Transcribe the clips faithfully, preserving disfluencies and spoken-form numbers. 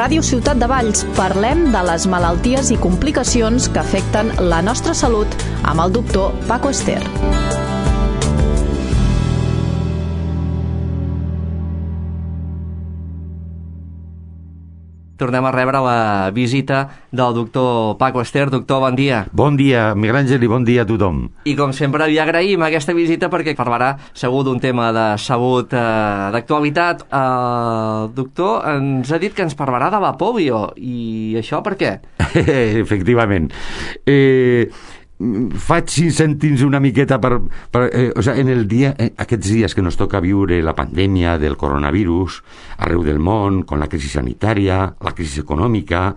Ràdio Ciutat de Valls parlem de les malalties i complicacions que afecten la nostra salut amb el doctor Paco Ester. Tornem a rebre la visita del doctor Paco Ester. Doctor, bon dia. Bon dia, Miguel Àngel, i bon dia a tothom. I com sempre li agraïm aquesta visita perquè parlarà segur d'un tema de salut eh, d'actualitat. El doctor ens ha dit que ens parlarà de la polio. I això per què? Efectivament. Eh... faig cinc cèntims una miqueta per, per eh, o sigui, en el dia, eh, aquests dies que nos toca viure la pandèmia del coronavirus arreu del món, con la crisi sanitària, la crisi econòmica,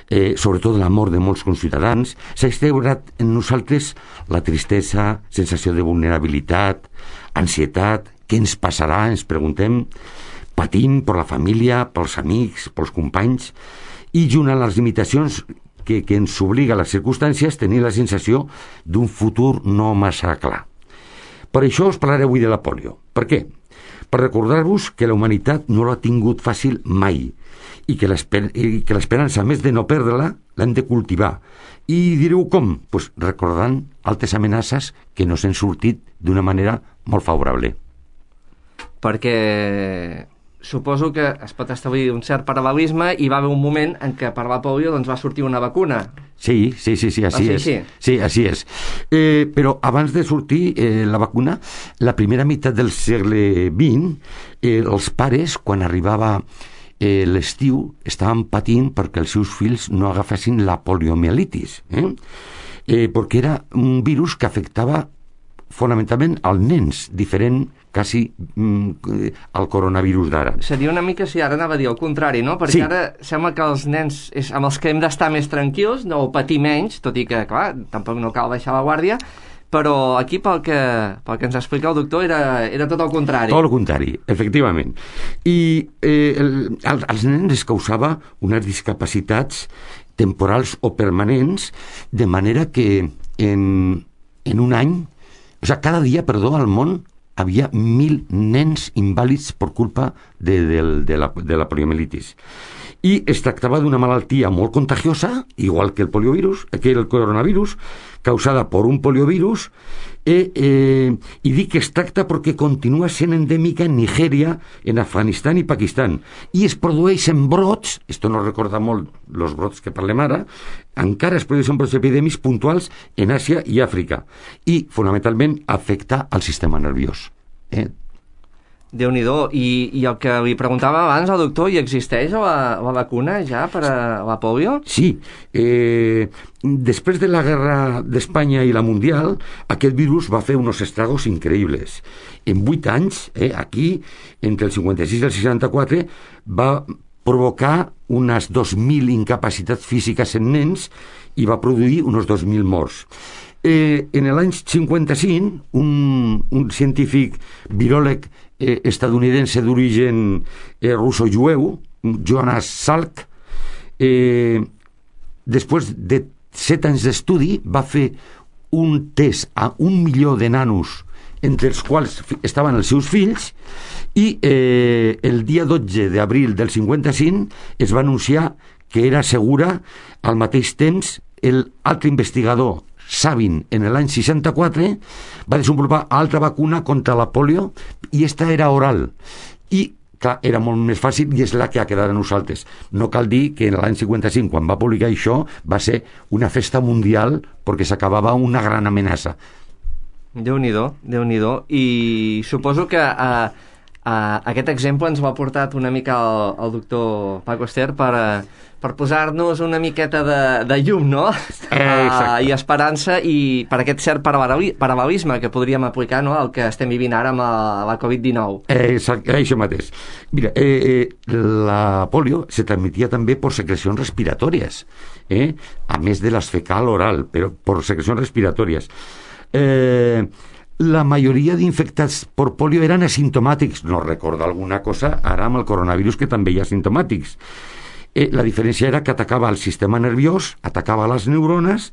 eh, sobretot la mort de molts conciutadans, s'ha instaurat en nosaltres la tristesa, sensació de vulnerabilitat, ansietat. Què ens passarà? Ens preguntem. Patim per la família, pels amics, pels companys, i junt amb les limitacions que, que ens obliga a les circumstàncies, tenir la sensació d'un futur no massa clar. Per això us parlaré avui de la polio. Per què? Per recordar-vos que la humanitat no l'ha tingut fàcil mai i que l'esperança, a més de no perdre-la, l'hem de cultivar. I direu com? Pues recordant altres amenaces que no s'han sortit d'una manera molt favorable. Perquè suposo que es pot establir un cert paral·lelisme i va haver un moment en què per la polio doncs, va sortir una vacuna. Sí, sí, sí, sí, així és. Sí, així és. Eh, però abans de sortir eh, la vacuna, la primera meitat del segle vint, eh, els pares, quan arribava eh, l'estiu, estaven patint perquè els seus fills no agafessin la poliomielitis, eh? Eh, perquè era un virus que afectava fonamentalment als nens, diferent quasi mm, al coronavirus d'ara. Seria una mica, si ara anava a dir el contrari, no? Perquè sí. Ara sembla que els nens és amb els que hem d'estar més tranquils, no patir menys, tot i que, clar, tampoc no cal baixar la guàrdia, però aquí pel que, pel que ens explica el doctor era, era tot el contrari. Tot el contrari, efectivament. I eh, el, als nens es causava unes discapacitats temporals o permanents, de manera que en, en un any, o sigui, cada dia, perdó, al món havia mil nens invàlids per culpa de, de, de, la, de la poliomielitis. I es tractava d'una malaltia molt contagiosa, igual que el poliovirus, que el coronavirus, causada per un poliovirus, eh, eh, i dic que es tracta perquè continua sent endèmica en Nigèria, en Afganistan i Pakistan, i es produeixen brots, esto no recorda molt els brots que parlem ara, encara es produeixen brots epidèmics puntuals en Àsia i Àfrica, i fonamentalment afecta al sistema nerviós. Eh? Déu-n'hi-do. I, I el que li preguntava abans al doctor, hi existeix la, la vacuna ja per a la polio? Sí. Eh, després de la guerra d'Espanya i la mundial, aquest virus va fer uns estragos increïbles. En vuit anys, eh, aquí, entre el cinquanta-sis i el seixanta-quatre, va provocar unes dos mil incapacitats físiques en nens i va produir uns dos mil morts. Eh, en l'any cinquanta-cinc, un, un científic viròleg eh, estadounidense d'origen eh, russo-jueu, Jonas Salk, eh, després de set anys d'estudi, va fer un test a un milió de nanos, entre els quals estaven els seus fills, i eh, el dia dotze d'abril del cinquanta-cinc es va anunciar que era segura. Al mateix temps, l'altre investigador, Sabin, en l'any seixanta-quatre, va desenvolupar altra vacuna contra la polio, i esta era oral. I, clar, era molt més fàcil, i és la que ha quedat a nosaltres. No cal dir que en l'any cinquanta-cinc, quan va publicar això, va ser una festa mundial perquè s'acabava una gran amenaça. Déu-n'hi-do, Déu-n'hi-do. I suposo que uh, uh, aquest exemple ens ho ha portat una mica el, el doctor Paco Ester per... Uh, per posar-nos una miqueta de, de llum, no? Eh, uh, I esperança, i per aquest cert paral·lelisme que podríem aplicar, no?, al que estem vivint ara amb la, la covid dinou. Eh, exacte, això mateix. Mira, eh, eh, la polio se transmetia també per secrecions respiratòries, eh? A més de les fecal oral, però per secrecions respiratòries. Eh... La majoria d'infectats per polio eren asimptomàtics. No recordo alguna cosa ara amb el coronavirus que també hi ha asimptomàtics. Eh, la diferència era que atacava el sistema nerviós, atacava les neurones,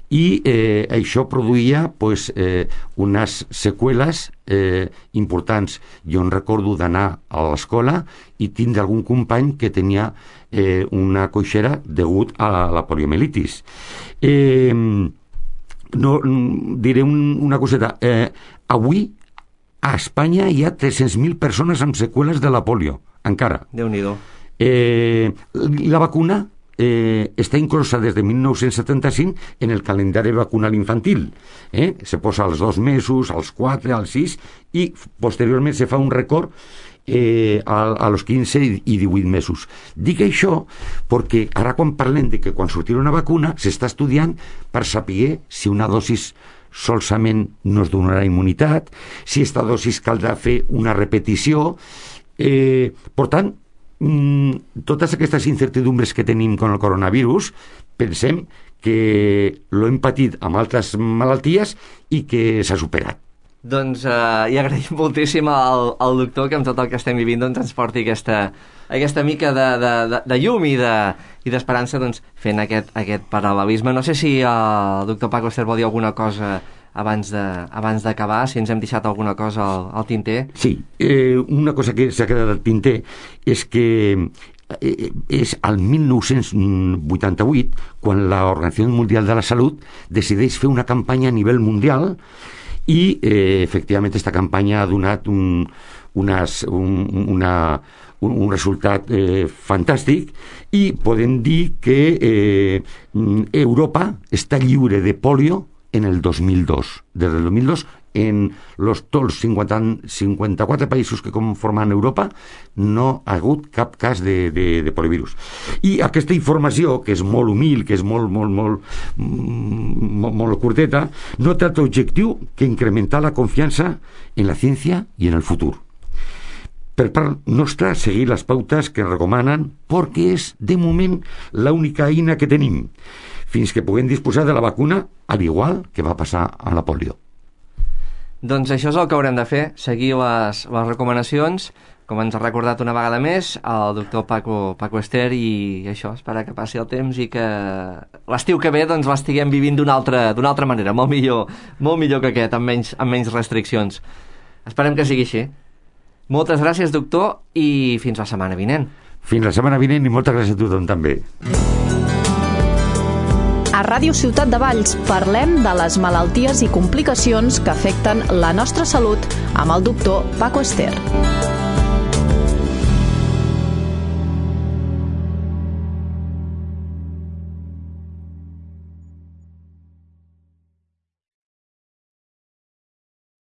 i eh, això produïa pues, eh, unes seqüeles eh, importants. Jo em recordo d'anar a l'escola i tindre algun company que tenia eh, una coixera degut a la poliomielitis. Eh, no, diré un, una coseta. Eh, avui a Espanya hi ha tres-cents mil persones amb seqüeles de la polio, encara. Déu-n'hi-do. Eh, la vacuna eh, està inclosa des de mil nou-cents setanta-cinc en el calendari vacunal infantil. Eh? Se posa als dos mesos, als quatre, als sis, i posteriorment se fa un record eh, a, a los quinze i divuit mesos. Dic això perquè ara quan parlem de que quan sortirà una vacuna s'està estudiant per saber si una dosis solament no es donarà immunitat, si esta dosis caldrà fer una repetició. Eh, per tant, mm, totes aquestes incertidumbres que tenim con el coronavirus, pensem que lo hem patit amb altres malalties i que s'ha superat. Doncs eh, i agraïm moltíssim al, al doctor que amb tot el que estem vivint doncs, ens porti aquesta, aquesta mica de, de, de, de llum i de, i d'esperança doncs, fent aquest, aquest paral·lelisme. No sé si el doctor Paco Ester vol dir alguna cosa abans de, abans d'acabar, si ens hem deixat alguna cosa al, al tinter. Sí, eh, una cosa que s'ha quedat al tinter és que eh, és al mil nou-cents vuitanta-vuit quan l'Organització Mundial de la Salut decideix fer una campanya a nivell mundial i eh, efectivament aquesta campanya ha donat un, unes, un, una, un, un resultat eh, fantàstic i podem dir que eh, Europa està lliure de polio en el dos mil dos. Des del dos mil dos, en los, tots els cinquanta, cinquanta-quatre països que conformen Europa, no ha hagut cap cas de, de, de poliovirus. I aquesta informació, que és molt humil, que és molt, molt, molt, molt, molt curteta, no té altre objectiu que incrementar la confiança en la ciència i en el futur. Per part nostra, seguir les pautes que recomanen, perquè és, de moment, l'única eina que tenim, fins que puguem disposar de la vacuna, al igual que va passar amb la polio. Doncs això és el que haurem de fer, seguir les, les recomanacions, com ens ha recordat una vegada més, el doctor Paco, Paco Ester, i això, esperar que passi el temps i que l'estiu que ve doncs, l'estiguem vivint d'una altra, d'una altra manera, molt millor, molt millor que aquest, amb menys, amb menys restriccions. Esperem que sigui així. Moltes gràcies, doctor, i fins la setmana vinent. Fins la setmana vinent i moltes gràcies a tothom també. A Ràdio Ciutat de Valls parlem de les malalties i complicacions que afecten la nostra salut amb el doctor Paco Ester.